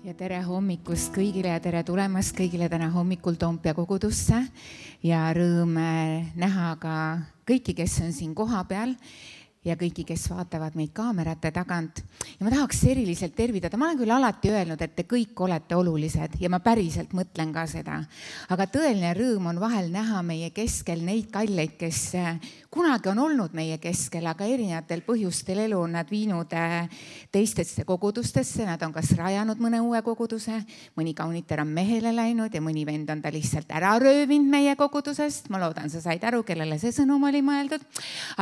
Ja tere hommikust kõigile ja tere tulemast kõigile täna hommikul Toompea kogudusse ja rõõm näha ka kõiki, kes on siin kohapeal ja kõiki, kes vaatavad meid kaamerate tagant. Ja ma tahaks eriliselt tervitada, ma olen küll alati öelnud, et te kõik olete olulised ja ma päriselt mõtlen ka seda. Aga tõeline rõõm on vahel näha meie keskel neid kalleid, kes kunagi on olnud meie keskel, aga erinevatel põhjustel elu on nad viinud teistesse kogudustesse, nad on kas rajanud mõne uue koguduse, mõni kaunitar on mehele läinud ja mõni vend on ta lihtsalt ära röövinud meie kogudusest. Ma loodan, sa said aru, kellele see sõnum oli mõeldud.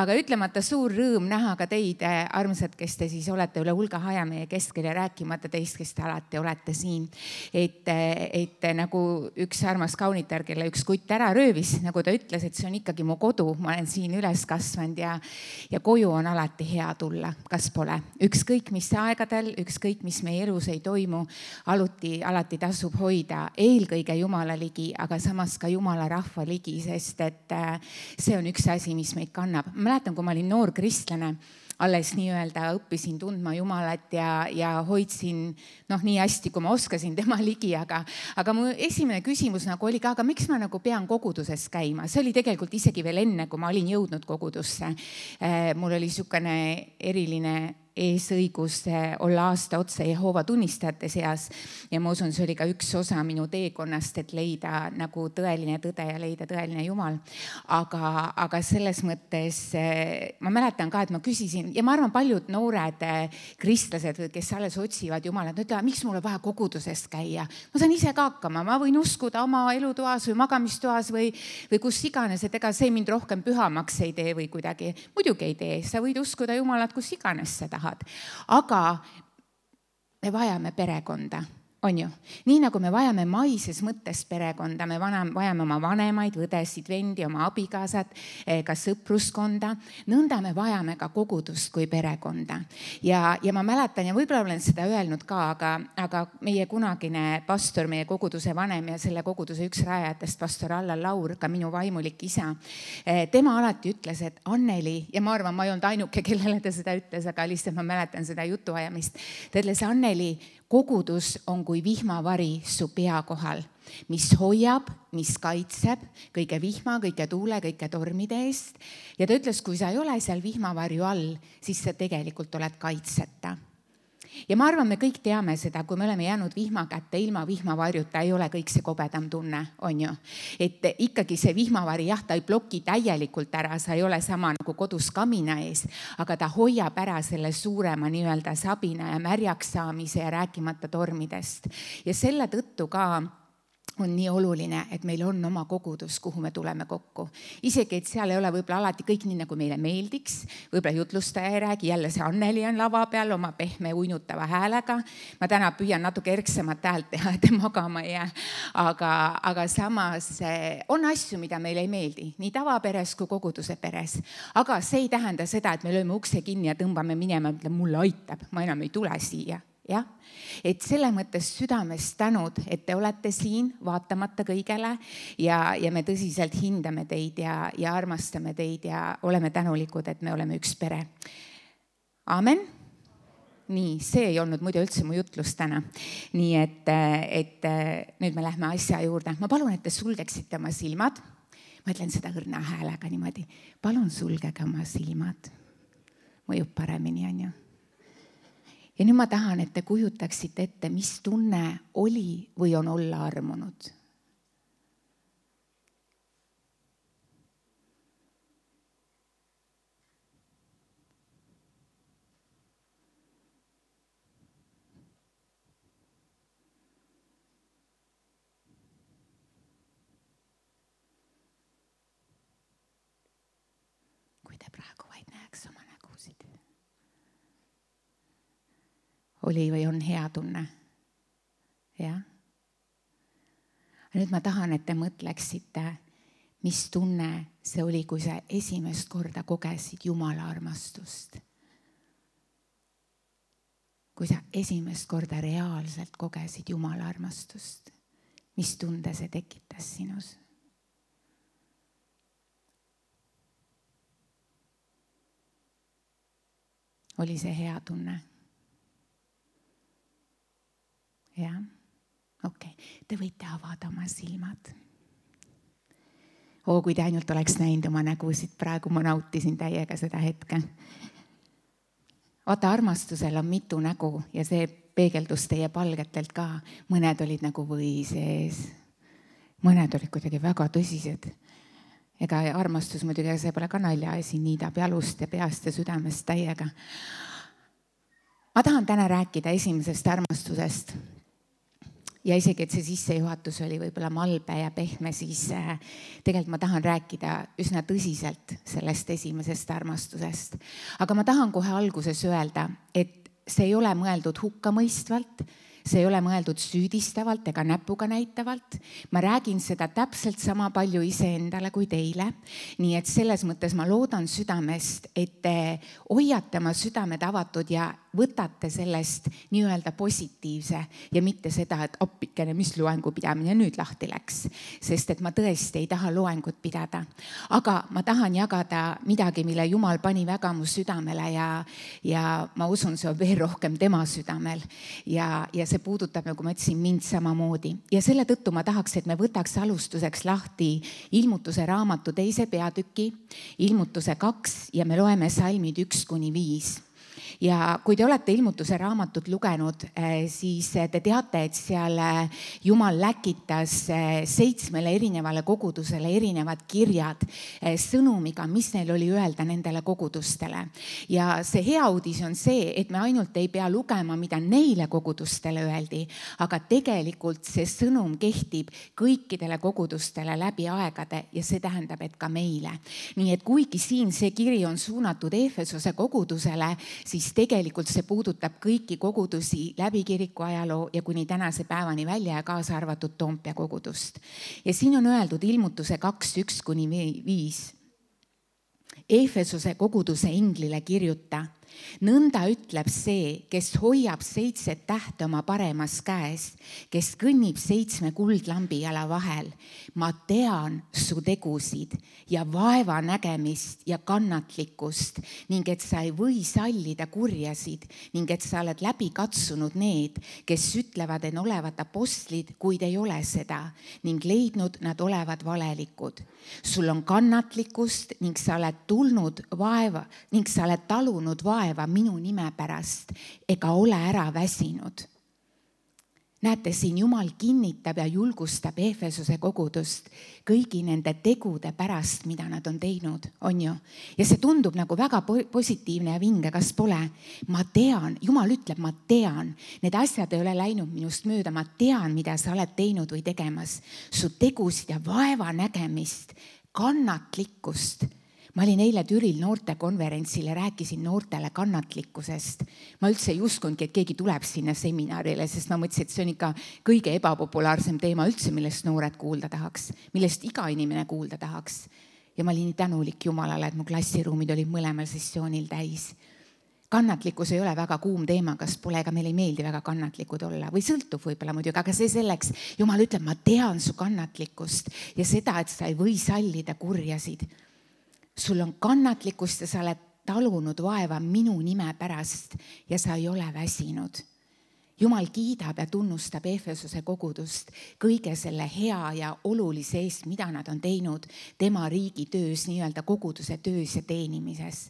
Aga ütlemata suur rõõm näha ka teid, armsad, kes te siis olete üle hulga aja meie keskel ja rääkimata teist, kes te alati olete siin. Et nagu üks armas kaunitar, kelle üks kutt ära röövis, nagu ta ütles, et see on ikkagi mu kodu, ma olen siin üles kasvanud ja koju on alati hea tulla, kas pole. Ükskõik mis aegadel, ükskõik mis meie elus ei toimu, alati tasub hoida eelkõige Jumala ligi, aga samas ka Jumala rahva ligi, sest et see on üks asi, mis meid kannab. Ma mäletan, kui ma olin noor kristlane, alles nii-öelda õppisin tundma Jumalat ja hoidsin nii hästi, kui ma oskasin tema ligi, aga mu esimene küsimus nagu oli ka, aga miks ma nagu pean koguduses käima? See oli tegelikult isegi veel enne, kui ma olin jõudnud kogudusse. Mul oli niisugune eriline eesõigus olla aasta otsa Jehoova tunnistajate seas ja ma usun, see oli ka üks osa minu teekonnast, et leida nagu tõeline tõde ja leida tõeline Jumal. Aga selles mõttes ma mäletan ka, et ma küsisin ja ma arvan, paljud noored kristlased, kes alles otsivad Jumalat, ütlevad, miks mulle vaja kogudusest käia? Ma saan ise ka hakkama, ma võin uskuda oma elutoas või magamistoas või kus iganes, et ega see mind rohkem pühamaks ei tee või kuidagi. Muidugi ei tee, sa võid uskuda Jumalat kus iganes seda. Aga me vajame perekonda, on ju? Nii nagu me vajame maises mõttes perekonda, me vajame oma vanemaid, õdesid, vendi, oma abikaasad, ka sõpruskonda, nõnda me vajame ka kogudust kui perekonda. Ja ma mäletan ja võib-olla olen seda öelnud ka, aga meie kunagine pastor, meie koguduse vanem ja selle koguduse üks rajajatest, pastor Allan Laur, ka minu vaimulik isa, tema alati ütles, et Anneli, ja ma arvan, ma ei olnud ainuke, kellele ta seda ütles, aga lihtsalt ma mäletan seda jutuajamist. Ta ütles, Anneli, kogudus on kui vihmavari su pea kohal, mis hoiab, mis kaitseb kõige vihma, kõige tuule, kõige tormide eest. Ja ta ütles, kui sa ei ole seal vihmavarju all, siis sa tegelikult oled kaitseta. Ja ma arvan, me kõik teame seda, kui me oleme jäänud vihma kätte, ilma vihmavarjuta ei ole kõik see kobedam tunne, on ju. Et ikkagi see vihmavari, jah, ta ei bloki täielikult ära, sa ei ole sama nagu kodus kamina ees, aga ta hoiab ära selle suurema nii-öelda sabina ja märjaks saamise ja rääkimata tormidest. Ja selle tõttu ka on nii oluline, et meil on oma kogudus, kuhu me tuleme kokku. Isegi, et seal ei ole võib-olla alati kõik nii, nagu meile meeldiks. Võib-olla jutlustaja ei räägi, jälle see Anneli on lava peal oma pehme uinutava häälega. Ma täna püüan natuke erksamat häält teha, et magama ei jää. Aga samas on asju, mida meile ei meeldi, nii tavaperes kui koguduse peres. Aga see ei tähenda seda, et me lööme ukse kinni ja tõmbame minema, et mulle aitab, ma enam ei tule siia. Ja? Et selle mõttes südamest tänud, et te olete siin vaatamata kõigele ja me tõsiselt hindame teid ja armastame teid ja oleme tänulikud, et me oleme üks pere. Amen. Nii, see ei olnud muidu üldse mu jutlus täna. Nii et nüüd me lähme asja juurde. Ma palun, et te sulgeksite oma silmad. Ma ütlen seda õrna häälega niimoodi. Palun sulgege oma silmad. Mõjub paremini, on ju. Ja nüüd ma tahan, et te kujutaksite ette, mis tunne oli või on olla armunud. Kui te praegu vaid näeks oma nägusid. Oli või on hea tunne. Ja? Nüüd ma tahan, et te mõtleksite, mis tunne see oli, kui sa esimest korda kogesid Jumala armastust. Kui sa esimest korda reaalselt kogesid Jumala armastust. Mis tunde see tekitas sinus? Oli see hea tunne? jah, okei. Te võite avada oma silmad. Kui te ainult oleks näinud oma nägusid, praegu ma nautisin täiega seda hetke. Vaata, armastusel on mitu nägu ja see peegeldus teie palgetelt ka. Mõned olid nagu või sees, mõned olid kuidagi väga tõsised. Ega armastus muidugi, see pole ka naljaasi, niidab jalust ja peast ja südamest täiega. Ma tahan täna rääkida esimesest armastusest. Ja isegi, et see sissejuhatus oli võib-olla malbe ja pehme, siis tegelikult ma tahan rääkida üsna tõsiselt sellest esimesest armastusest. Aga ma tahan kohe alguses öelda, et see ei ole mõeldud hukkamõistvalt, see ei ole mõeldud süüdistavalt ega näpuga näitavalt. Ma räägin seda täpselt sama palju iseendale kui teile. Nii et selles mõttes ma loodan südamest, et te hoiate oma südamed avatud ja võtate sellest nii-öelda positiivse ja mitte seda, et appikene, mis loengu pidamine nüüd lahti läks. Sest et ma tõesti ei taha loengut pidada. Aga ma tahan jagada midagi, mille Jumal pani väga mu südamele ja ma usun, see on veel rohkem tema südamel. Ja see puudutab, nagu ma ütlesin, mind samamoodi. Ja selle tõttu ma tahaks, et me võtaks alustuseks lahti Ilmutuse raamatu 2. peatüki, Ilmutuse 2 ja me loeme salmid 1-5. Ja kui te olete Ilmutuse raamatut lugenud, siis te teate, et seal Jumal läkitas 7 erinevale kogudusele erinevad kirjad sõnumiga, mis neil oli öelda nendele kogudustele. Ja see hea uudis on see, et me ainult ei pea lugema, mida neile kogudustele öeldi, aga tegelikult see sõnum kehtib kõikidele kogudustele läbi aegade ja see tähendab, et ka meile. Nii et kuigi siin see kiri on suunatud Efesose kogudusele, siis tegelikult see puudutab kõiki kogudusi läbi kiriku ajaloo ja kuni tänase päevani välja ja kaasa arvatud Toompea kogudust. Ja siin on öeldud Ilmutuse 2:1-5. Efesose koguduse inglile kirjuta. Nõnda ütleb see, kes hoiab 7 tähte oma paremas käes, kes kõnnib 7 kuldlambi jala vahel. Ma tean su tegusid ja vaeva nägemist ja kannatlikkust ning et sa ei või sallida kurjasid ning et sa oled läbi katsunud need, kes ütlevad, et olevat apostlid, kuid ei ole seda ning leidnud nad olevat valelikud. Sul on kannatlikkust ning sa oled tulnud vaeva ning sa oled talunud vaeva minu nime pärast ega ole ära väsinud. Näete, siin Jumal kinnitab ja julgustab Efesose kogudust kõigi nende tegude pärast, mida nad on teinud, on ju? Ja see tundub nagu väga positiivne ja vinge, kas pole? Ma tean, Jumal ütleb, ma tean, need asjad ei ole läinud minust mööda, ma tean, mida sa oled teinud või tegemas. Su tegusid ja vaeva nägemist, kannatlikkust. Ma olin eile Türil noortekonverentsil ja rääkisin noortele kannatlikkusest. Ma üldse ei uskunudki, et keegi tuleb sinna seminarile, sest ma mõtlesin, et see on ikka kõige ebapopulaarsem teema üldse, millest noored kuulda tahaks, millest iga inimene kuulda tahaks. Ja ma olin nii tänulik Jumalale, et mu klassiruumid olid mõlemal sessioonil täis. Kannatlikkus ei ole väga kuum teema, kas pole, ega meil ei meeldi väga kannatlikud olla või sõltub võib-olla muidugi, aga see selleks. Jumal ütleb, ma tean su kannatlikkust ja seda, et sa ei või sallida kurjasid. Sul on kannatlikkust ja sa oled talunud vaeva minu nime pärast ja sa ei ole väsinud. Jumal kiidab ja tunnustab Efesose kogudust kõige selle hea ja olulise eest, mida nad on teinud tema riigi töös, nii-öelda koguduse töös ja teenimises.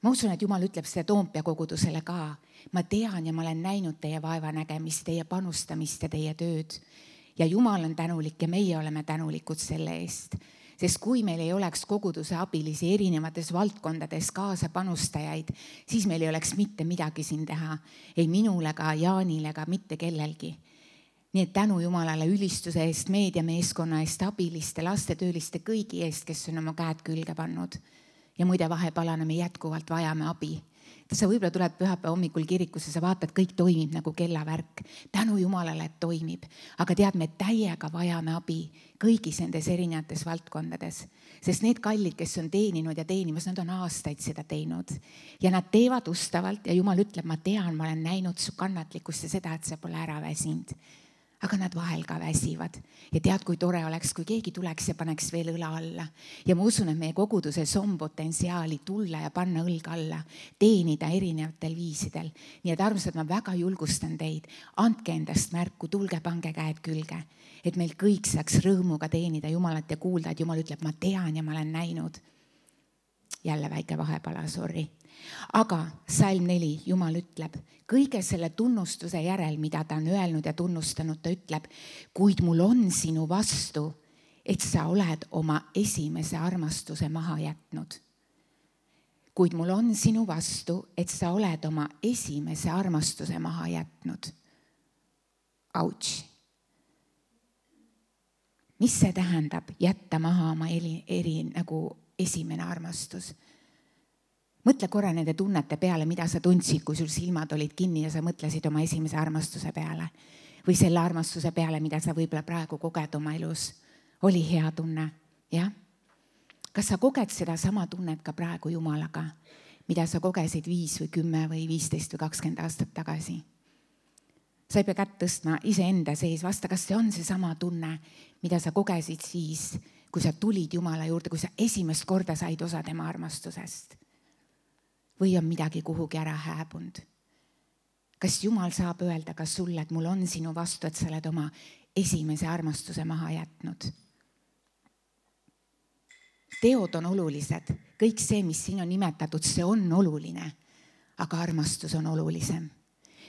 Ma usun, et Jumal ütleb seda Toompea kogudusele ka. Ma tean ja ma olen näinud teie vaeva nägemist, teie panustamist ja teie tööd. Ja Jumal on tänulik ja meie oleme tänulikud selle eest. Sest kui meil ei oleks koguduse abilisi erinevates valdkondades kaasapanustajaid, siis meil ei oleks mitte midagi siin teha. Ei minule ega Jaanile ega mitte kellelgi. Nii et tänu Jumalale ülistuse eest, meediameeskonna eest, abiliste, lastetööliste, kõigi eest, kes on oma käed külge pannud. Ja muide vahepalana me jätkuvalt vajame abi. Sa võib-olla tuled pühapäeva hommikul kirikusse, sa vaatad, kõik toimib nagu kellavärk. Tänu Jumalale, et toimib. Aga tead, me täiega vajame abi kõigis nendes erinevates valdkondades. Sest need kallid, kes on teeninud ja teenimas, nad on aastaid seda teinud. Ja nad teevad ustavalt ja Jumal ütleb, ma tean, ma olen näinud su kannatlikkust ja seda, et sa pole ära väsinud. aga nad vahel ka väsivad. Ja tead, kui tore oleks, kui keegi tuleks ja paneks veel õla alla. Ja ma usun, et meie koguduses on potentsiaali tulla ja panna õlga alla, teenida erinevatel viisidel. Nii et armsad, ma väga julgustan teid, andke endast märku, tulge, pange käed külge, et meil kõik saaks rõõmuga teenida Jumalat ja kuulda, et Jumal ütleb, ma tean ja ma olen näinud. Jälle väike vahepala, sorry. Aga salm 4, Jumal ütleb, kõige selle tunnustuse järel, mida ta on öelnud ja tunnustanud, ta ütleb, kuid mul on sinu vastu, et sa oled oma esimese armastuse maha jätnud. Kuid mul on sinu vastu, et sa oled oma esimese armastuse maha jätnud. Ouch. Mis see tähendab, jätta maha oma nagu esimene armastus? Mõtle korra nende tunnete peale, mida sa tundsid, kui sul silmad olid kinni ja sa mõtlesid oma esimese armastuse peale. Või selle armastuse peale, mida sa võib-olla praegu koged oma elus. Oli hea tunne, jah? Kas sa koged seda sama tunnet ka praegu Jumalaga, mida sa kogesid 5 või 10 või 15 või 20 aastat tagasi? Sa ei pea kätt tõstma iseenda sees, vasta, kas see on see sama tunne, mida sa kogesid siis, kui sa tulid Jumala juurde, kui sa esimest korda said osa tema armastusest? Või on midagi kuhugi ära hääbunud? Kas Jumal saab öelda ka sulle, et mul on sinu vastu, et sa oled oma esimese armastuse maha jätnud? Teod on olulised. Kõik see, mis siin on nimetatud, see on oluline. Aga armastus on olulisem.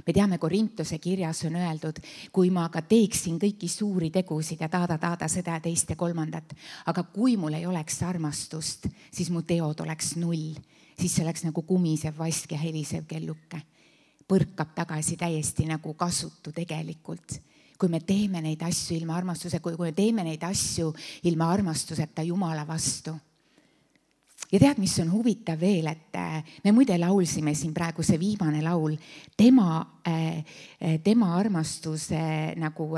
Me teame, Korintuse kirjas on öeldud, kui ma ka teeksin kõiki suuri tegusid ja taada seda ja teist ja kolmandat, aga kui mul ei oleks armastust, siis mu teod oleks 0. Siis see oleks nagu kumisev vask ja helisev kelluke. Põrkab tagasi täiesti nagu kasutu tegelikult. Kui me teeme neid asju ilma armastuse, kui me teeme neid asju ilma armastuseta Jumala vastu. Ja tead, mis on huvitav veel, et me muide laulsime siin praegu see viimane laul, tema armastuse, nagu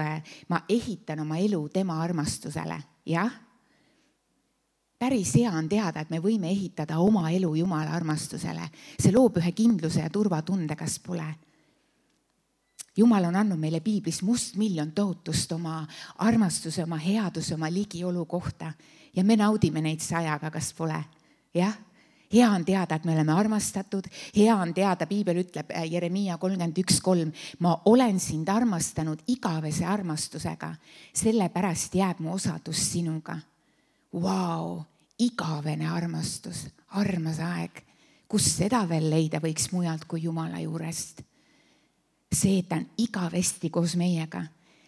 ma ehitan oma elu tema armastusele, jah? Päris hea on teada, et me võime ehitada oma elu Jumala armastusele. See loob ühe kindluse ja turvatunde, kas pole. Jumal on andnud meile piiblis mustmiljon tohutust oma armastuse, oma headuse, oma ligiolu kohta. Ja me naudime neid sajaga, kas pole. Jah? Hea on teada, et me oleme armastatud. Hea on teada, piibel ütleb Jeremiia 31:3, ma olen sind armastanud igavese armastusega. Sellepärast jääb mu osadus sinuga. Vau, igavene armastus, armas aeg. Kus seda veel leida võiks mujalt kui Jumala juurest? See, et ta on igavesti koos meiega.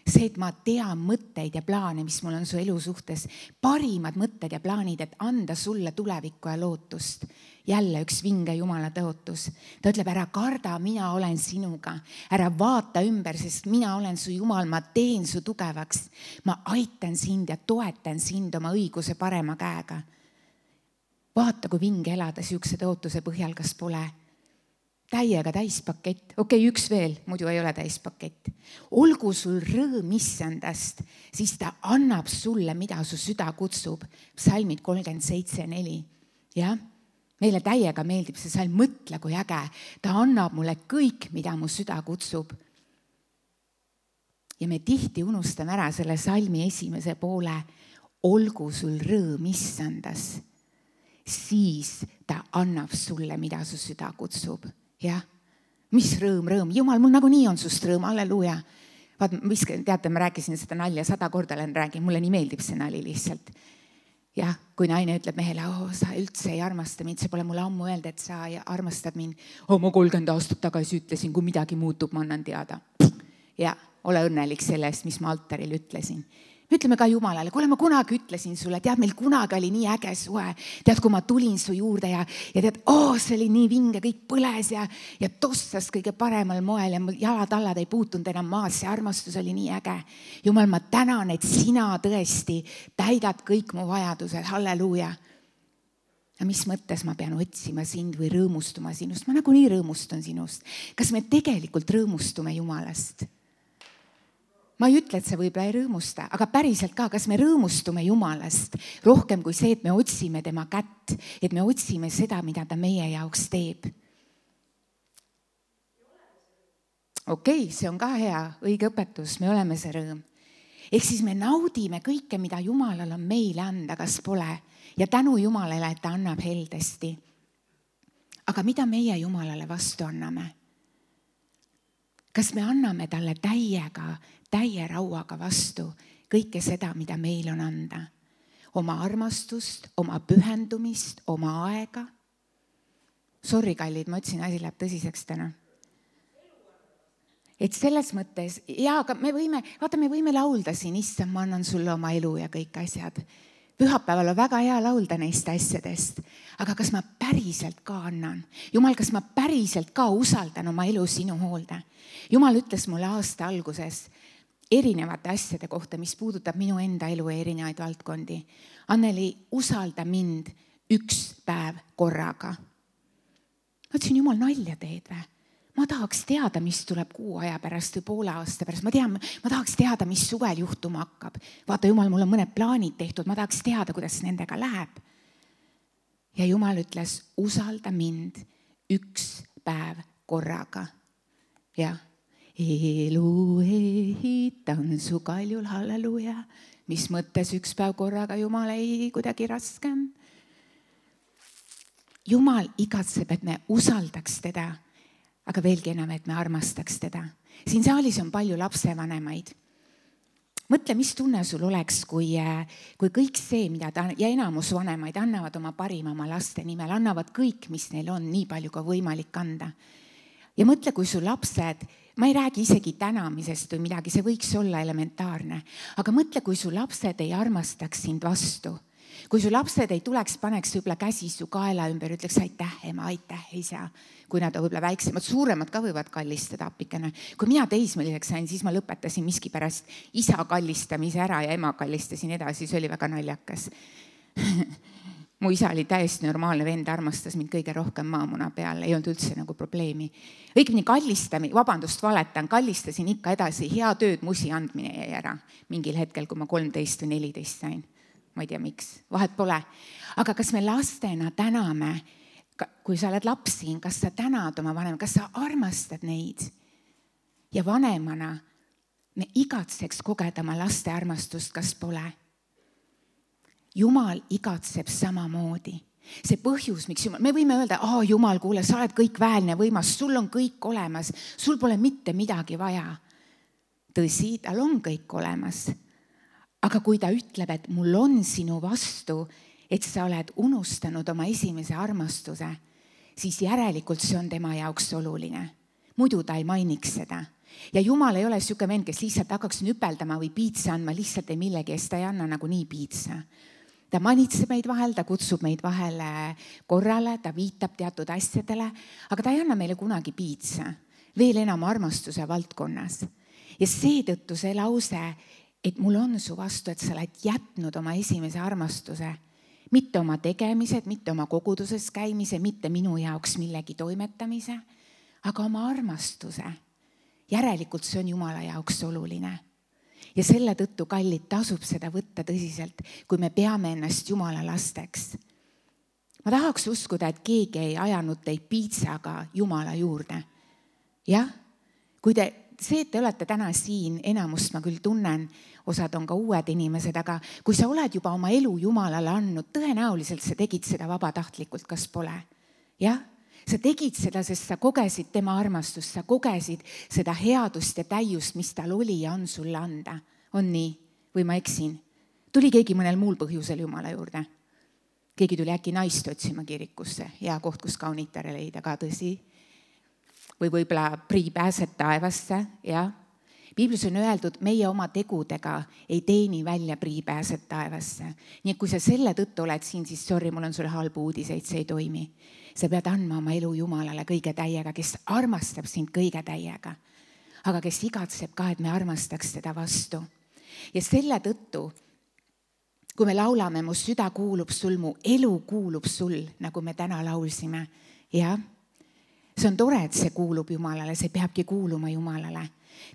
See, et ma tean mõtteid ja plaane, mis mul on su elu suhtes. Parimad mõtted ja plaanid, et anda sulle tulevikku ja lootust. Jälle üks vinge Jumala tõotus. Ta ütleb, ära karda, mina olen sinuga. Ära vaata ümber, sest mina olen su Jumal, ma teen su tugevaks. Ma aitan sind ja toetan sind oma õiguse parema käega. Vaata, kui vinge elada siukse tõotuse põhjal, kas pole. Täiega täispakett. Okei, üks veel, muidu ei ole täispakett. Olgu sul rõõm issandast, siis ta annab sulle, mida su süda kutsub. Psalmid 37:4. Jah? Meile täiega meeldib see salm, mõtle kui äge. Ta annab mulle kõik, mida mu süda kutsub. Ja me tihti unustame ära selle salmi esimese poole. Olgu sul rõõm issandas, siis ta annab sulle, mida su süda kutsub. Jah, mis rõõm. Jumal, mul nagunii on sust rõõm, halleluuja. Vaat, teate, ma rääkisin seda nalja 100 korda, räägin, mulle nii meeldib see nali lihtsalt. Jah, kui naine ütleb mehele, sa üldse ei armasta mind, see pole mulle ammu öelda, et sa armastad mind. Ma 30 aastat tagasi ütlesin, kui midagi muutub, ma annan teada. Ja ole õnnelik selle eest, mis ma altaril ütlesin. Me ütleme ka Jumalale, kuule, ma kunagi ütlesin sulle, tead, meil kunagi oli nii äge suhe. Tead, kui ma tulin su juurde ja tead, see oli nii vinge, kõik põles ja tossas kõige paremal moel ja jalad-allad ei puutunud enam maas. See armastus oli nii äge. Jumal, ma tänan, et sina tõesti täidad kõik mu vajadused. Halleluuja. Ja mis mõttes ma pean otsima sind või rõõmustuma sinust? Ma nagunii rõõmustun sinust. Kas me tegelikult rõõmustume Jumalast? Ma ei ütle, et see võib-olla ei rõõmusta, aga päriselt ka, kas me rõõmustume Jumalast rohkem kui see, et me otsime tema kätt, et me otsime seda, mida ta meie jaoks teeb. Okei, see on ka hea, õige õpetus, me oleme see rõõm. Ehk siis me naudime kõike, mida Jumalal on meile anda, kas pole, ja tänu Jumalale, et ta annab heldesti. Aga mida meie Jumalale vastu anname? Kas me anname talle täie rauaga vastu kõike seda, mida meil on anda? Oma armastust, oma pühendumist, oma aega. Sorry, kallid, ma ütlesin, asi läheb tõsiseks täna. Et selles mõttes, aga me võime laulda siin, issand, ma annan sulle oma elu ja kõik asjad. Pühapäeval on väga hea laulda neist asjadest, aga kas ma päriselt ka annan? Jumal, kas ma päriselt ka usaldan oma elu sinu hoolde? Jumal ütles mulle aasta alguses erinevate asjade kohta, mis puudutab minu enda elu ja erinevaid valdkondi. Anneli, usalda mind 1 päev korraga. Ma ütlesin, Jumal, nalja teed või? Ma tahaks teada, mis tuleb 6 aja pärast või poole aasta pärast. Ma tahaks teada, mis suvel juhtuma hakkab. Vaata, Jumal, mul on mõned plaanid tehtud. Ma tahaks teada, kuidas nendega läheb. Ja Jumal ütles, usalda mind 1 päev korraga. Ja elu ehitan su kaljul, halleluja. Mis mõttes 1 päev korraga, Jumal, ei kuidagi raskem. Jumal igatseb, et me usaldaks teda. Aga veelgi enam, et me armastaks teda. Siin saalis on palju lapsevanemaid. Mõtle, mis tunne sul oleks, kui kõik see, mida ja enamus vanemaid annavad oma parima oma laste nimel, annavad kõik, mis neil on, nii palju kui võimalik anda. Ja mõtle, kui su lapsed, ma ei räägi isegi tänamisest või midagi, see võiks olla elementaarne, aga mõtle, kui su lapsed ei armastaks sind vastu. Kui su lapsed ei tuleks, paneks võib-olla käsi su kaela ümber, ütleks aitäh, ema, aitäh, isa. Kui nad on võib-olla väiksemad, suuremad ka võivad kallistada appikene. Kui mina teismeliseks sain, siis ma lõpetasin miski pärast isa kallistamise ära ja ema kallistasin edasi, see oli väga naljakas. Mu isa oli täiesti normaalne vend, armastas mind kõige rohkem maamuna peal, ei olnud üldse nagu probleemi. Õigemini kallistasin ikka edasi, hea tööd musi andmine jäi ära mingil hetkel, kui ma 13 või 14 sain. Ma ei tea, miks, vahet pole. Aga kas me lastena täname, kui sa oled lapsi, kas sa tänad oma vanem, kas sa armastad neid? Ja vanemana me igatseks kogeda oma laste armastust, kas pole? Jumal igatseb samamoodi. See põhjus, miks Jumal, me võime öelda, Jumal, kuule, sa oled kõik väelne võimas, sul on kõik olemas, sul pole mitte midagi vaja. Tõsi, tal on kõik olemas. Aga kui ta ütleb, et mul on sinu vastu, et sa oled unustanud oma esimese armastuse, siis järelikult see on tema jaoks oluline. Muidu ta ei mainiks seda. Ja Jumal ei ole siuke vend, kes lihtsalt hakkaks nüpeldama või piitsa andma lihtsalt ei millegi, sest ta ei anna nagu nii piitsa. Ta manitseb meid vahel, ta kutsub meid vahele korrale, ta viitab teatud asjadele, aga ta ei anna meile kunagi piitsa, veel enam armastuse valdkonnas. Ja seetõttu see lause, et mul on su vastu, et sa oled jätnud oma esimese armastuse, mitte oma tegemised, mitte oma koguduses käimise, mitte minu jaoks millegi toimetamise, aga oma armastuse. Järelikult see on Jumala jaoks oluline. Ja selle tõttu, kallid, tasub seda võtta tõsiselt, kui me peame ennast Jumala lasteks. Ma tahaks uskuda, et keegi ei ajanud teid piitsaga Jumala juurde. Jah, kui see, et te olete täna siin, enamust ma küll tunnen, osad on ka uued inimesed, aga kui sa oled juba oma elu Jumalale andnud, tõenäoliselt sa tegid seda vabatahtlikult, kas pole? Jah, sa tegid seda, sest sa kogesid tema armastust, sa kogesid seda headust ja täiust, mis tal oli ja on sulle anda. On nii? Või ma eksin? Tuli keegi mõnel muul põhjusel Jumala juurde? Keegi tuli äkki naist otsima kirikusse, hea koht, kus kaunitare leida ka, tõsi? Või võib-olla prii pääsed taevasse, jah. Piiblis on öeldud, meie oma tegudega ei teeni välja prii pääsed taevasse. Nii et kui sa selle tõttu oled siin, siis sorry, mul on sulle halbu uudiseid, see ei toimi. Sa pead andma oma elu Jumalale kõige täiega, kes armastab sind kõige täiega. Aga kes igatseb ka, et me armastaks seda vastu. Ja selle tõttu, kui me laulame, mu süda kuulub sul, mu elu kuulub sul, nagu me täna laulsime, jah. See on tore, et see kuulub Jumalale, see peabki kuuluma Jumalale.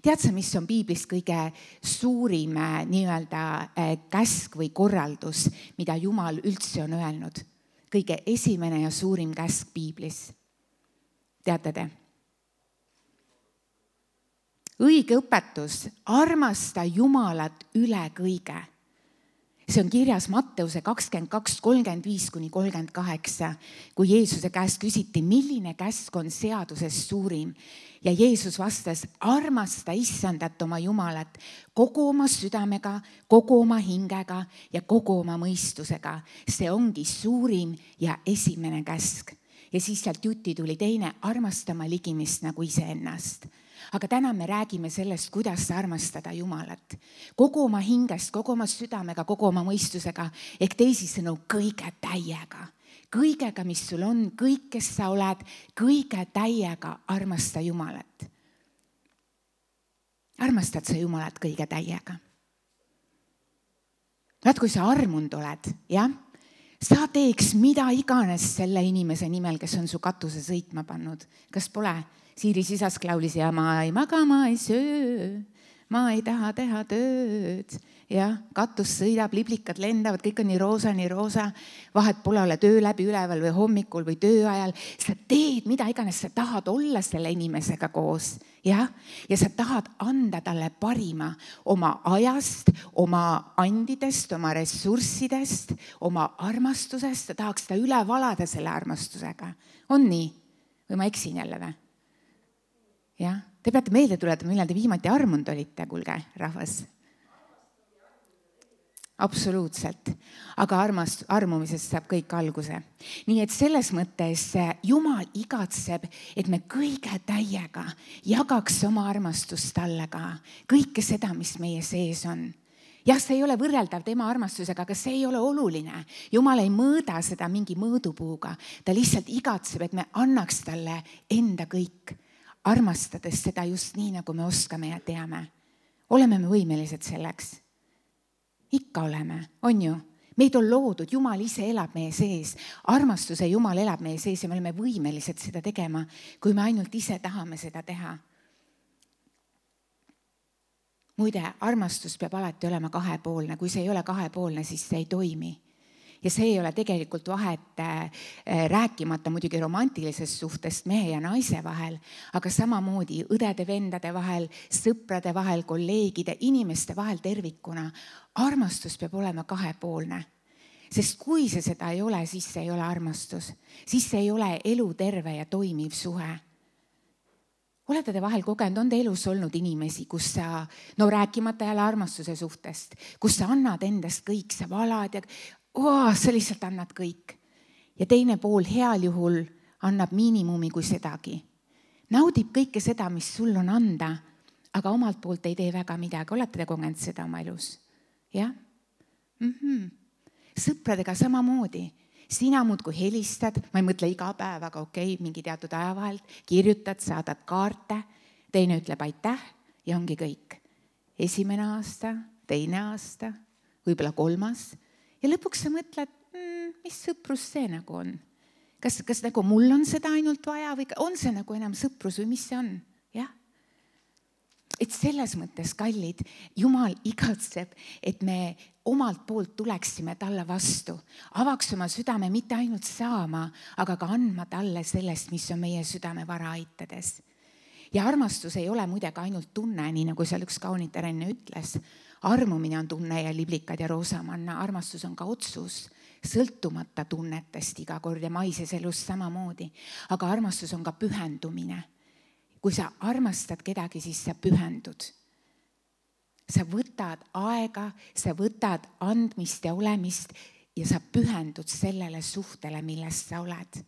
Tead sa, mis on Piiblist kõige suurim nii-öelda käsk või korraldus, mida Jumal üldse on öelnud? Kõige esimene ja suurim käsk Piiblis. Teate te? õige õpetus, armasta Jumalat üle kõige. See on kirjas Matteuse 22:35-38, kui Jeesuse käest küsiti, milline käsk on seadusest suurim. Ja Jeesus vastas, armasta Issandat oma Jumalat kogu oma südamega, kogu oma hingega ja kogu oma mõistusega. See ongi suurim ja esimene käsk. Ja siis sealt jutti tuli teine, armasta oma ligimist nagu iseennast. Aga täna me räägime sellest, kuidas armastada Jumalat. Kogu oma hingest, kogu oma südamega, kogu oma mõistusega, ehk teisisõnu kõige täiega. Kõigega, mis sul on, kõik, kes sa oled, kõige täiega armasta Jumalat. Armastad sa Jumalat kõige täiega? Vaat, kui sa armunud oled, jah? Sa teeks mida iganes selle inimese nimel, kes on su katuse sõitma pannud. Kas pole? Siiri sisask laulis ja ma ei maga, ma ei söö, ma ei taha teha tööd. Ja katus sõidab, liblikad lendavad, kõik on nii roosa. Vahet pole ole töö läbi üleval või hommikul või töö ajal. Sa teed mida iganes, sa tahad olla selle inimesega koos. Ja sa tahad anda talle parima oma ajast, oma andidest, oma ressurssidest, oma armastusest. Sa tahaks ta üle valada selle armastusega. On nii? Või ma eksin jälle või? Ja, te peate meelde tuletama, millal te viimati armunud olite, kuulge, rahvas. Absoluutselt. Aga armumisest saab kõik alguse. Nii et selles mõttes Jumal igatseb, et me kõige täiega jagaks oma armastust talle ka. Kõike seda, mis meie sees on. Jah, see ei ole võrreldav tema armastusega, aga see ei ole oluline. Jumal ei mõõda seda mingi mõõdupuuga. Ta lihtsalt igatseb, et me annaks talle enda kõik. Armastades seda just nii, nagu me oskame ja teame. Oleme me võimelised selleks? Ikka oleme, on ju? Meid on loodud, Jumal ise elab meie sees. Armastuse Jumal elab meie sees ja me oleme võimelised seda tegema, kui me ainult ise tahame seda teha. Muide, armastus peab alati olema kahepoolne. Kui see ei ole kahepoolne, siis see ei toimi. Ja see ei ole tegelikult vahet rääkimata muidugi romantilisest suhtest mehe ja naise vahel, aga samamoodi õdede, vendade vahel, sõprade vahel, kolleegide, inimeste vahel tervikuna. Armastus peab olema kahepoolne. Sest kui see seda ei ole, siis see ei ole armastus. Siis see ei ole eluterve ja toimiv suhe. Olete te vahel kogenud, on te elus olnud inimesi, kus sa, rääkimata jälle armastuse suhtest, kus sa annad endast kõik, sa valad ja sa lihtsalt annad kõik. Ja teine pool heal juhul annab miinimumi kui sedagi. Naudib kõike seda, mis sul on anda, aga omalt poolt ei tee väga midagi. Olete te kogenud seda oma elus? Jah? Sõpradega samamoodi. Sina muudkui helistad, ma ei mõtle iga päev, aga okei, mingi teatud aja vahelt, kirjutad, saadad kaarte, teine ütleb aitäh ja ongi kõik. Esimene aasta, teine aasta, võib-olla 3. Ja lõpuks sa mõtled, mis sõprus see nagu on? Kas nagu mul on seda ainult vaja või on see nagu enam sõprus või mis see on? Jah. Et selles mõttes, kallid, Jumal igatseb, et me omalt poolt tuleksime talle vastu. Avaks oma südame mitte ainult saama, aga ka andma talle sellest, mis on meie südame vara aitades. Ja armastus ei ole muidega ainult tunne, nii nagu seal üks kaunitar enne ütles. Armumine on tunne ja liblikad ja roosamanna. Armastus on ka otsus, sõltumata tunnetest iga kord ja maises elus samamoodi. Aga armastus on ka pühendumine. Kui sa armastad kedagi, siis sa pühendud. Sa võtad aega, sa võtad andmist ja olemist ja sa pühendud sellele suhtele, millest sa oled.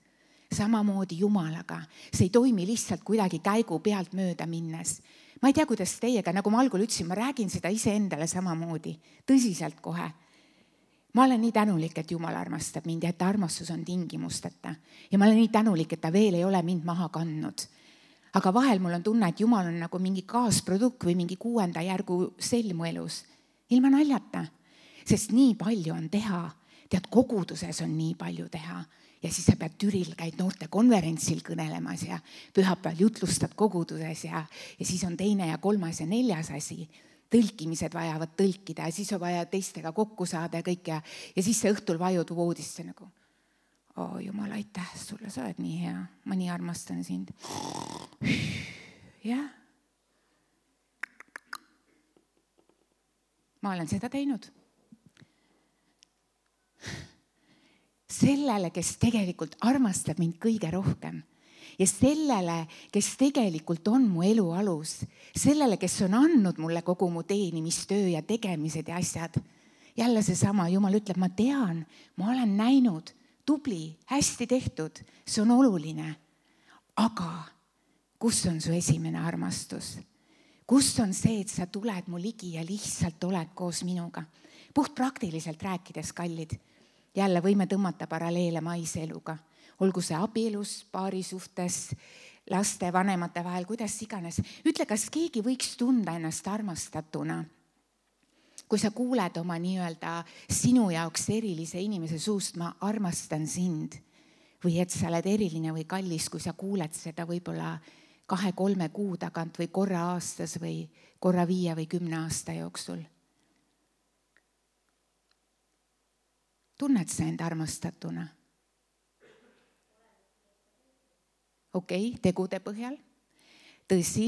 Samamoodi Jumalaga. See ei toimi lihtsalt kuidagi käigu pealt mööda minnes. Ma ei tea, kuidas teiega, nagu ma algul ütlesin, ma räägin seda iseendale samamoodi. Tõsiselt kohe. Ma olen nii tänulik, et Jumal armastab mind ja et armastus on tingimusteta. Ja ma olen nii tänulik, et ta veel ei ole mind maha kandnud. Aga vahel mul on tunne, et Jumal on nagu mingi kaasprodukt või mingi 6. järgu selmu elus. Ilma naljata. Sest nii palju on teha. Tead, koguduses on nii palju teha. Ja siis sa pead Türil, käid noorte konverentsil kõnelemas ja pühapäeval jutlustad koguduses ja siis on 2. ja 3. ja 4. asi. Tõlkimised vajavad tõlkida ja siis on vaja teistega kokku saada ja kõik ja siis sa õhtul vajud voodisse nagu. Jumal, aitäh sulle, sa oled nii hea. Ma nii armastan sind. Jah. ma olen seda teinud. Sellele, kes tegelikult armastab mind kõige rohkem ja sellele, kes tegelikult on mu elu alus, sellele, kes on andnud mulle kogu mu teenimistöö ja tegemised ja asjad. Jälle seesama, Jumal ütleb, ma tean, ma olen näinud, tubli, hästi tehtud, see on oluline. Aga kus on su esimene armastus? Kus on see, et sa tuled mu ligi ja lihtsalt oled koos minuga? Puht praktiliselt rääkides, kallid. Jälle võime tõmmata paralleele maiseluga. Olgu see abielus, paari suhtes, laste, vanemate vahel, kuidas iganes. Ütle, kas keegi võiks tunda ennast armastatuna, kui sa kuuled oma nii-öelda sinu jaoks erilise inimese suust, ma armastan sind, või et sa oled eriline või kallis, kui sa kuuled seda võib-olla 2-3 kuu tagant või korra aastas või korra 5 või 10 aasta jooksul. Tunned sa end armastatuna? Okei, tegude põhjal. Tõsi,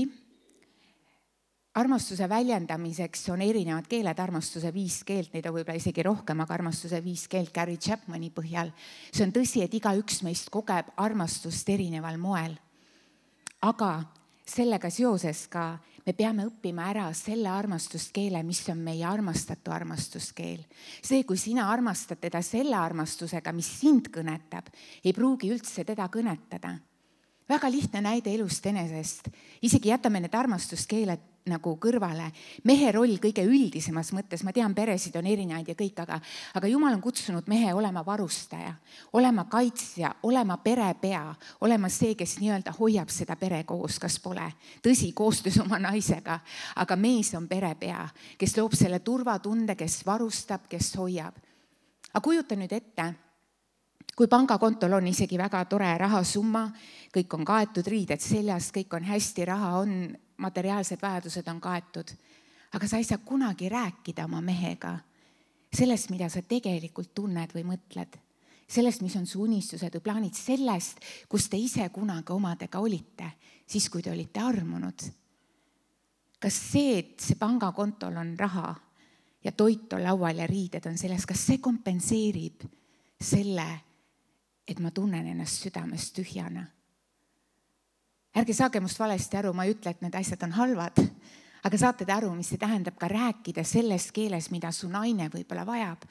armastuse väljendamiseks on erinevad keeled, armastuse 5 keelt, neid on võib-olla isegi rohkem, aga armastuse 5 keelt Gary Chapmani põhjal. See on tõsi, et igaüks meist kogeb armastust erineval moel. Aga sellega seoses ka me peame õppima ära selle armastuskeele, mis on meie armastatu armastuskeel. See, kui sina armastad teda selle armastusega, mis sind kõnetab, ei pruugi üldse teda kõnetada. Väga lihtne näide elust enesest. Isegi jätame need armastuskeeled nagu kõrvale. Mehe roll kõige üldisemas mõttes, ma tean, peresid on erinevaid ja kõik, aga Jumal on kutsunud mehe olema varustaja, olema kaitsja, olema perepea, olema see, kes nii-öelda hoiab seda pere koos, kas pole. Tõsi, koostöös oma naisega, aga mees on perepea, kes loob selle turvatunde, kes varustab, kes hoiab. Aga kujuta nüüd ette, kui pangakontol on isegi väga tore rahasumma, kõik on kaetud, riided seljas, kõik on hästi, raha on, materiaalsed vajadused on kaetud. Aga sa ei saa kunagi rääkida oma mehega sellest, mida sa tegelikult tunned või mõtled. Sellest, mis on su unistused või plaanid, sellest, kus te ise kunagi omadega olite, siis kui te olite armunud. Kas see, et see pangakontol on raha ja toit on laual ja riided on selles, kas see kompenseerib selle, et ma tunnen ennast südamest tühjana? Ärge saage must valesti aru, ma ei ütle, et need asjad on halvad, aga saate te aru, mis see tähendab ka rääkida selles keeles, mida su naine võib-olla vajab.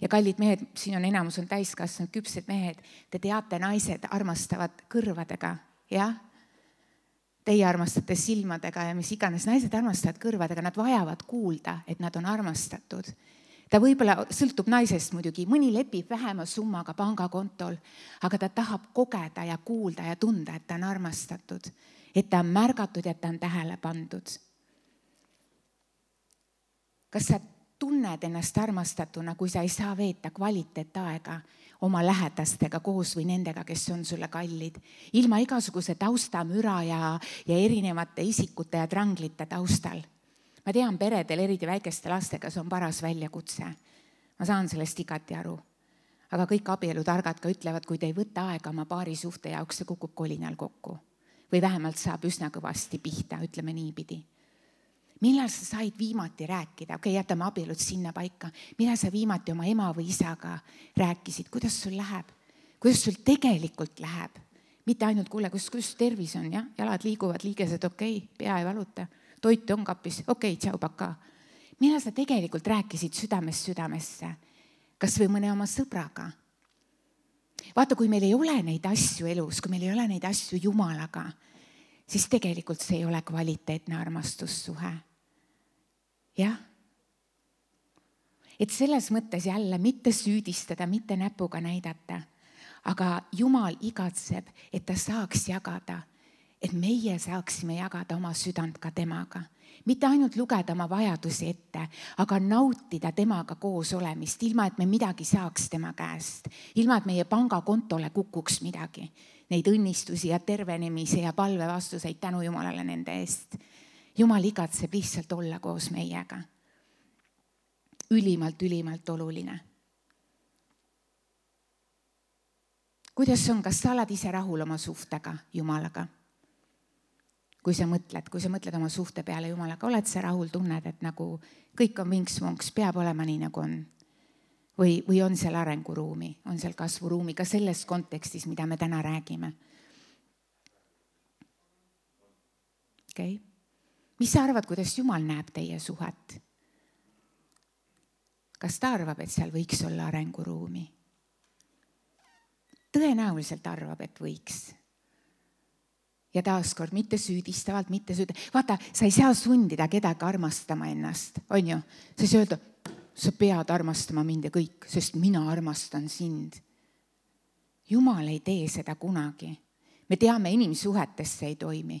Ja kallid mehed, siin on enamus on täiskasvanud küpsed mehed, te teate, naised armastavad kõrvadega, jah? Teie armastate silmadega ja mis iganes, naised armastavad kõrvadega, nad vajavad kuulda, et nad on armastatud. Ta võib-olla sõltub naisest muidugi, mõni lepib vähema summaga pangakontol, aga ta tahab kogeda ja kuulda ja tunda, et ta on armastatud, et ta on märgatud ja et ta on tähele pandud. Kas sa tunned ennast armastatuna, kui sa ei saa veeta kvaliteetaega oma lähedastega koos või nendega, kes on sulle kallid, ilma igasuguse taustamüra ja erinevate isikute ja tranglite taustal? Ma tean, peredel, eriti väikeste lastega, see on paras väljakutse. Ma saan sellest igati aru. Aga kõik abielutargad ka ütlevad, kui te ei võta aega oma paari suhte jaoks, see kukub kolinal kokku. Või vähemalt saab üsna kõvasti pihta, ütleme niipidi. Millal sa said viimati rääkida? Okei, jätame abielud sinna paika. Millal sa viimati oma ema või isaga rääkisid? Kuidas sul läheb? Kuidas sul tegelikult läheb? Mitte ainult kuule, kus tervis on, ja? Jalad liiguvad, liigesed okei, pea ei valuta. Toit on kapis, okei, tšau, paka. Millal sa tegelikult rääkisid südamest südamesse? Kas või mõne oma sõbraga? Vaata, kui meil ei ole neid asju elus, kui meil ei ole neid asju Jumalaga, siis tegelikult see ei ole kvaliteetne armastussuhe. Jah? Et selles mõttes jälle mitte süüdistada, mitte näpuga näidata, aga Jumal igatseb, et ta saaks jagada, et meie saaksime jagada oma südant ka temaga. Mitte ainult lugeda oma vajadusi ette, aga nautida temaga koos olemist, ilma et me midagi saaks tema käest, ilma et meie pangakontole kukuks midagi. Neid õnnistusi ja tervenemise ja palve vastuseid tänu Jumalale nende eest. Jumal igatseb lihtsalt olla koos meiega. Ülimalt oluline. Kuidas on, kas sa oled ise rahul oma suhtega Jumalaga? kui sa mõtled oma suhte peale Jumalaga, oled sa rahul, tunned, et nagu kõik on vinks-vonks, peab olema nii, nagu on. Või on seal arenguruumi, on seal kasvuruumi ka selles kontekstis, mida me täna räägime. Okay. Mis sa arvad, kuidas Jumal näeb teie suhet? Kas ta arvab, et seal võiks olla arenguruumi? Tõenäoliselt arvab, et võiks. Ja taaskord mitte süüdistavalt, Vaata, sa ei saa sundida kedagi armastama ennast, on ju? Sa ei saa öelda, sa pead armastama mind ja kõik, sest mina armastan sind. Jumal ei tee seda kunagi. Me teame, inimsuhetes see ei toimi.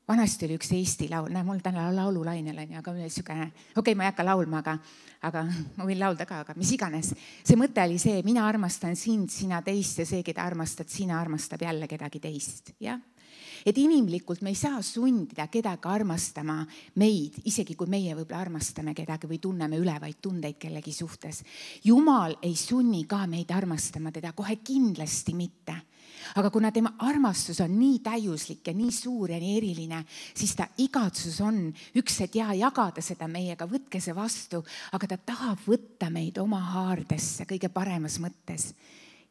Vanasti oli üks Eesti laul, mul täna laululainel on, aga ma ei hakka laulma, aga ma võin laulda ka, aga mis iganes. See mõte oli see, mina armastan sind, sina teist ja see, keda armastad, sina armastab jälle kedagi teist. Ja? Et inimlikult me ei saa sundida kedagi armastama meid, isegi kui meie võib-olla armastame kedagi või tunneme ülevaid tundeid kellegi suhtes. Jumal ei sunni ka meid armastama teda, kohe kindlasti mitte. Aga kuna tema armastus on nii täiuslik ja nii suur ja nii eriline, siis ta igatsus on üks, et jagada seda meiega, võtke see vastu, aga ta tahab võtta meid oma haardesse kõige paremas mõttes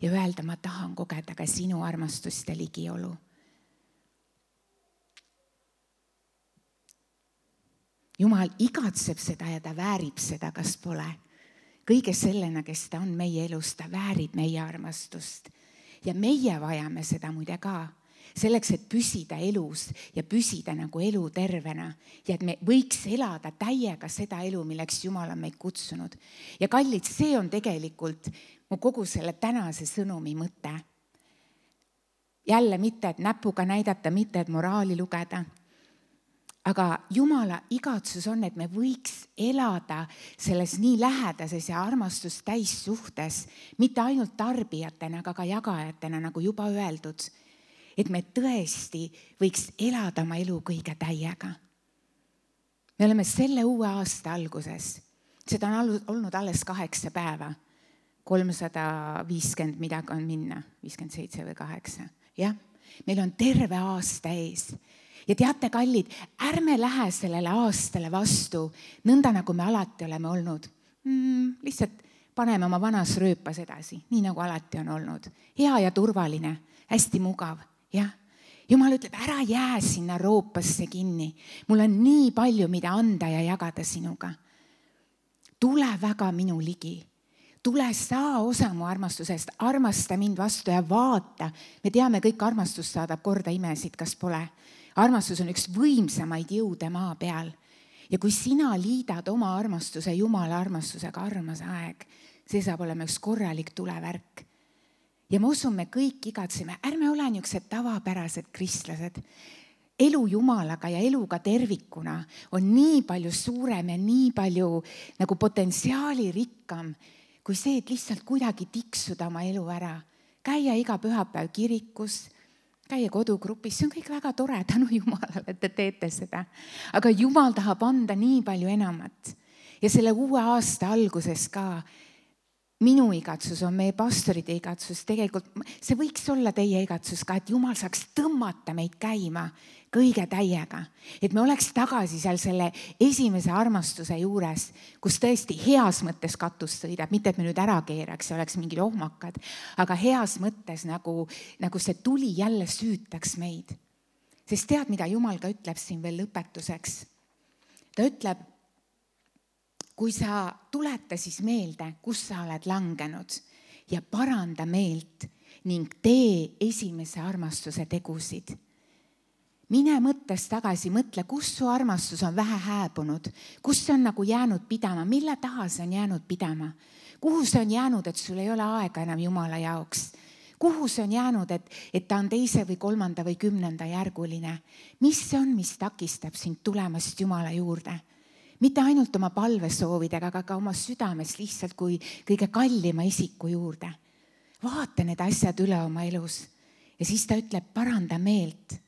ja öelda, ma tahan kogeda ka sinu armastust ja ligiolu. Jumal igatseb seda ja ta väärib seda, kas pole. Kõige sellena, kes ta on meie elus, ta väärib meie armastust. Ja meie vajame seda muide ka, selleks, et püsida elus ja püsida nagu elu tervena ja et me võiks elada täiega seda elu, milleks Jumal on meid kutsunud. Ja kallid, see on tegelikult mu kogu selle tänase sõnumi mõte. Jälle mitte, et näpuga näidata, mitte, et moraali lugeda. Aga Jumala igatsus on, et me võiks elada selles nii lähedases ja armastust täis suhtes, mitte ainult tarbijatena, aga ka jagajatena, nagu juba öeldud, et me tõesti võiks elada oma elu kõige täiega. Me oleme selle uue aasta alguses, seda on olnud alles 8 päeva, 350 midagi on minna, 57 või 8, jah, meil on terve aasta ees. Ja teate, kallid, ärme lähe sellele aastale vastu, nõnda nagu me alati oleme olnud. Lihtsalt paneme oma vanas rööpas edasi, nii nagu alati on olnud. Hea ja turvaline, hästi mugav. Ja? Jumal ütleb, ära jää sinna roopasse kinni. Mul on nii palju, mida anda ja jagada sinuga. Tule väga minu ligi. Tule saa osa mu armastusest, armasta mind vastu ja vaata. Me teame, kõik armastus saadab korda imesid, kas pole. Armastus on üks võimsamaid jõude maa peal. Ja kui sina liidad oma armastuse Jumala armastusega, armas aeg, see saab olema üks korralik tulevärk. Ja ma usun, me kõik igatseme, ärme ole niisugused tavapärased kristlased. Elu Jumalaga ja eluga tervikuna on nii palju suurem ja nii palju nagu potentsiaali rikkam, kui see, et lihtsalt kuidagi tiksuda oma elu ära. Käia iga pühapäev kirikus, käia kodugrupis, see on kõik väga tore, tänu Jumalale, et te teete seda. Aga Jumal tahab anda nii palju enamat. Ja selle uue aasta alguses ka minu igatsus on meie pastorite igatsus. Tegelikult see võiks olla teie igatsus ka, et Jumal saaks tõmmata meid käima kõige täiega. Et me oleks tagasi seal selle esimese armastuse juures, kus tõesti heas mõttes katus sõidab, mitte et me nüüd ära keeraks ja oleks mingid ohmakad, aga heas mõttes nagu see tuli jälle süütaks meid. Sest tead, mida Jumal ka ütleb siin veel lõpetuseks? Ta ütleb, kui sa tuleta siis meelde, kus sa oled langenud ja paranda meelt ning tee esimese armastuse tegusid. Mine mõttes tagasi, mõtle, kus su armastus on vähe hääbunud, kus see on nagu jäänud pidama, mille taha see on jäänud pidama, kuhu see on jäänud, et sul ei ole aega enam Jumala jaoks, kuhu see on jäänud, et ta on 2. või 3. või 10. järguline, mis see on, mis takistab sind tulemast Jumala juurde, mitte ainult oma palvesoovidega, aga ka oma südames lihtsalt kui kõige kallima isiku juurde. Vaata need asjad üle oma elus ja siis ta ütleb, paranda meelt.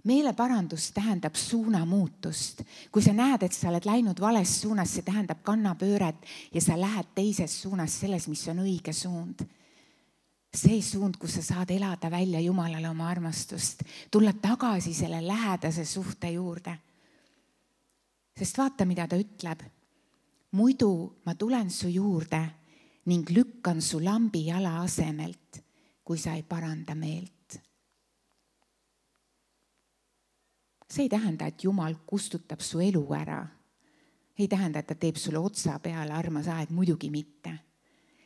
Meeleparandus tähendab suunamuutust. Kui sa näed, et sa oled läinud vales suunas, see tähendab kannapööret ja sa lähed teises suunas selles, mis on õige suund. see suund, kus sa saad elada välja Jumalale oma armastust, tulla tagasi selle lähedase suhte juurde. Sest vaata, mida ta ütleb. Muidu ma tulen su juurde ning lükkan su lambi jala asemelt, kui sa ei paranda meelt. See ei tähenda, et Jumal kustutab su elu ära. Ei tähenda, et ta teeb sulle otsa peale, armas aeg, muidugi mitte.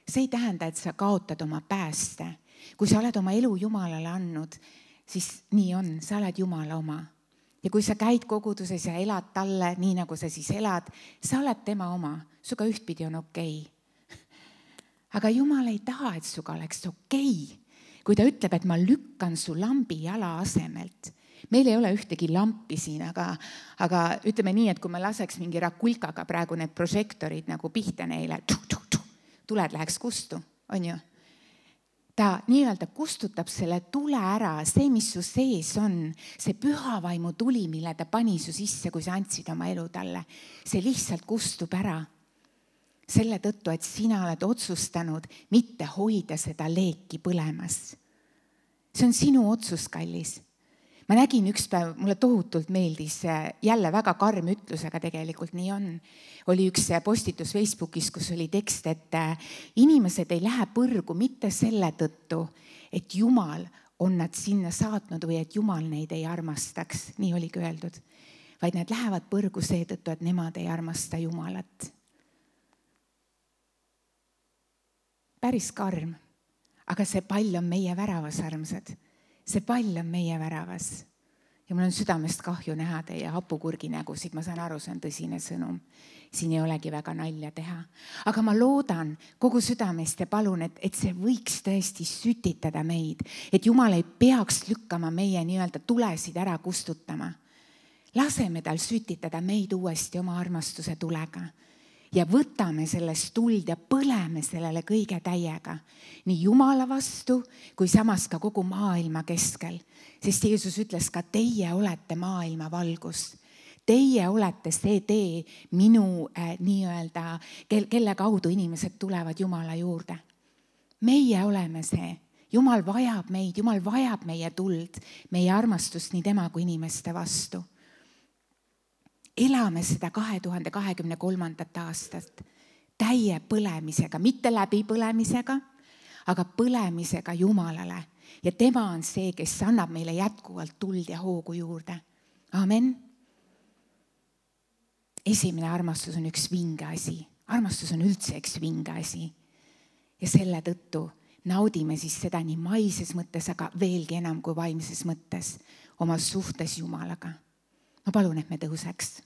See ei tähenda, et sa kaotad oma pääste. Kui sa oled oma elu Jumalale andnud, siis nii on, sa oled Jumala oma. Ja kui sa käid koguduses ja elad talle, nii nagu sa siis elad, sa oled tema oma. Suga ühtpidi on okei. Aga Jumal ei taha, et suga oleks okei. Kui ta ütleb, et ma lükkan su lambi jala asemelt. Meil ei ole ühtegi lampi siin, aga ütleme nii, et kui me laseks mingi rakulkaga praegu need prožektorid nagu pihta neile, tuled läheks kustu, on ju? Ta nii-öelda kustutab selle tule ära, see, mis su sees on, see pühavaimu tuli, mille ta pani su sisse, kui sa andsid oma elu talle, see lihtsalt kustub ära. Selle tõttu, et sina oled otsustanud mitte hoida seda leeki põlemas. See on sinu otsus, kallis. Ma nägin üks päev, mulle tohutult meeldis, jälle väga karm ütlus, aga tegelikult nii on. Oli üks postitus Facebookis, kus oli tekst, et inimesed ei lähe põrgu mitte selle tõttu, et Jumal on nad sinna saatnud või et Jumal neid ei armastaks, nii oligi öeldud, vaid nad lähevad põrgu seetõttu, et nemad ei armasta Jumalat. Päris karm, aga see pall on meie väravas, armsad. See pall on meie väravas. Ja mul on südamest kahju näha teie hapukurgi nägusid. Ma saan aru, see on tõsine sõnum. Siin ei olegi väga nalja teha. Aga ma loodan kogu südamest ja palun, et see võiks tõesti sütitada meid. Et Jumal ei peaks lükkama meie nii-öelda tulesid ära kustutama. Laseme tal sütitada meid uuesti oma armastuse tulega. Ja võtame sellest tuld ja põleme sellele kõige täiega. Nii Jumala vastu, kui samas ka kogu maailma keskel. Sest Jeesus ütles ka, teie olete maailma valgus. Teie olete see tee minu nii-öelda, kelle kaudu inimesed tulevad Jumala juurde. Meie oleme see. Jumal vajab meid, Jumal vajab meie tuld, meie armastust nii tema kui inimeste vastu. Elame seda 2023. aastat täie põlemisega, mitte läbi põlemisega, aga põlemisega Jumalale. Ja tema on see, kes annab meile jätkuvalt tuld ja hoogu juurde. Amen. Esimene armastus on üks vinge asi. Armastus on üldse üks vinge asi. Ja selle tõttu naudime siis seda nii maises mõttes, aga veelgi enam kui vaimses mõttes oma suhtes Jumalaga. Ma palun, et me tõuseks.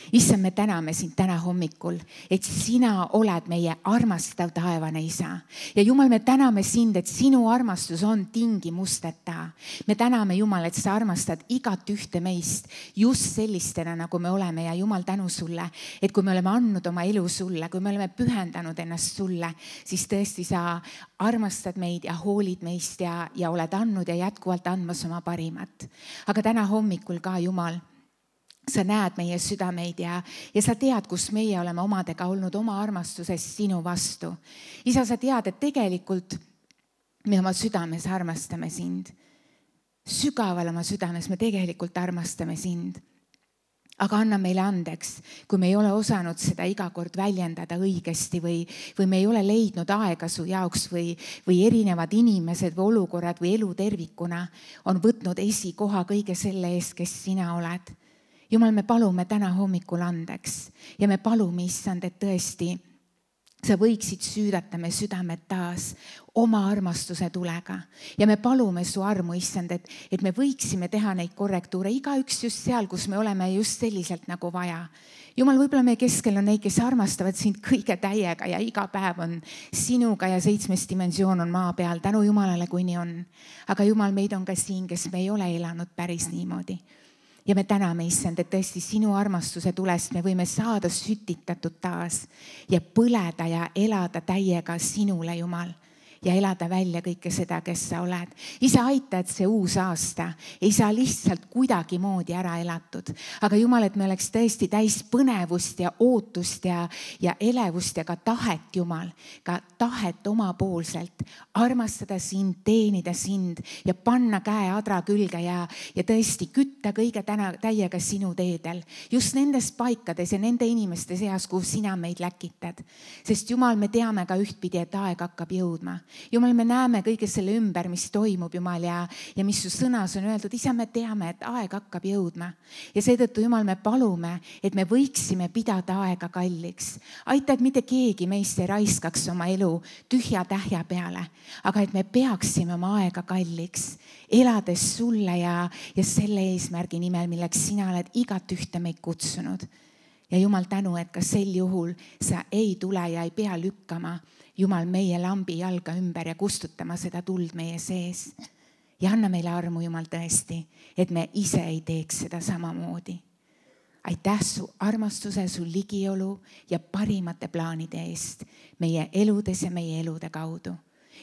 Issand, me täname sind täna hommikul, et sina oled meie armastav taevane isa. Ja Jumal, me täname sind, et sinu armastus on tingimusteta. Me täname Jumal, et sa armastad igat ühte meist just sellistena, nagu me oleme. Ja Jumal, tänu sulle, et kui me oleme andnud oma elu sulle, kui me oleme pühendanud ennast sulle, siis tõesti sa armastad meid ja hoolid meist ja oled andnud ja jätkuvalt andmas oma parimat. Aga täna hommikul ka, Jumal, sa näed meie südameid ja sa tead, kus meie oleme omadega olnud oma armastuses sinu vastu. Isa, sa tead, et tegelikult me oma südames armastame sind. Sügaval oma südames me tegelikult armastame sind. Aga anna meile andeks, kui me ei ole osanud seda iga kord väljendada õigesti või me ei ole leidnud aega su jaoks või erinevad inimesed või olukorrad või elu tervikuna on võtnud esikoha kõige selle eest, kes sina oled. Jumal, me palume täna hommikul andeks ja me palume, issand, et tõesti sa võiksid süüdata me südamed taas oma armastuse tulega. Ja me palume su armu, issand, et me võiksime teha neid korrektuure, igaüks just seal, kus me oleme just selliselt nagu vaja. Jumal, võib-olla meie keskel on neid, kes armastavad sind kõige täiega ja iga päev on sinuga ja 7. dimensioon on maa peal. Tänu Jumalale, kui nii on. Aga Jumal, meid on ka siin, kes me ei ole elanud päris niimoodi. Ja me täname, issand, et tõesti sinu armastuse tulest me võime saada sütitatud taas ja põleda ja elada täiega sinule, Jumal. ja elada välja kõike seda, kes sa oled. Isa, aita, et see uus aasta ei saa lihtsalt kuidagimoodi ära elatud. Aga Jumal, et me oleks tõesti täis põnevust ja ootust ja elevust ja ka tahet, Jumal, ka tahet omapoolselt armastada sind, teenida sind ja panna käe adra külge ja tõesti kütta kõige täiega sinu teedel. Just nendes paikades ja nende inimeste seas, kuhu sina meid läkitad. Sest Jumal, me teame ka ühtpidi, et aeg hakkab jõudma. Jumal, me näeme kõige selle ümber, mis toimub, Jumal, ja mis su sõnas on öeldud. Isa, me teame, et aeg hakkab jõudma. Ja seetõttu, Jumal, me palume, et me võiksime pidada aega kalliks. Aita, et mitte keegi meist ei raiskaks oma elu tühja tähja peale, aga et me peaksime oma aega kalliks, elades sulle ja selle eesmärgi nimel, milleks sina oled igat ühte meid kutsunud. Ja Jumal, tänu, et ka sel juhul sa ei tule ja ei pea lükkama, Jumal, meie lambi jalga ümber ja kustutama seda tuld meie sees. Ja anna meile armu, Jumal, tõesti, et me ise ei teeks seda samamoodi. Aitäh su armastuse, su ligiolu ja parimate plaanide eest meie eludes ja meie elude kaudu.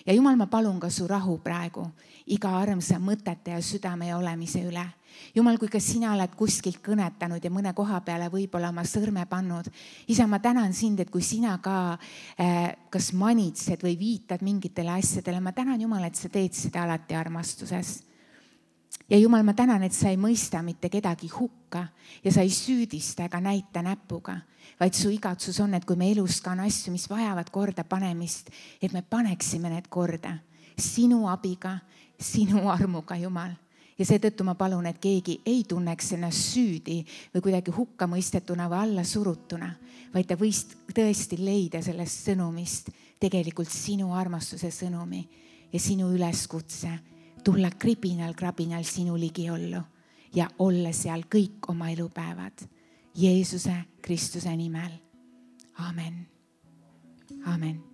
Ja Jumal, ma palun ka su rahu praegu iga armsa mõtete ja südame ja olemise üle. Jumal, kui ka sina oled kuskilt kõnetanud ja mõne koha peale võib-olla oma sõrme pannud. Isa, ma tänan sind, et kui sina ka kas manitsed või viitad mingitele asjadele, ma tänan, Jumal, et sa teed seda alati armastuses. Ja Jumal, ma tänan, et sa ei mõista mitte kedagi hukka ja sa ei süüdista ega näita näpuga, vaid su igatsus on, et kui me elus ka on asju, mis vajavad korda panemist, et me paneksime need korda sinu abiga, sinu armuga, Jumal. Ja seetõttu ma palun, et keegi ei tunneks ennast süüdi või kuidagi hukka mõistetuna või alla surutuna, vaid ta võis tõesti leida sellest sõnumist tegelikult sinu armastuse sõnumi ja sinu üleskutse tulla krabinal sinu ligiollu ja olla seal kõik oma elupäevad. Jeesuse Kristuse nimel. Amen. Amen.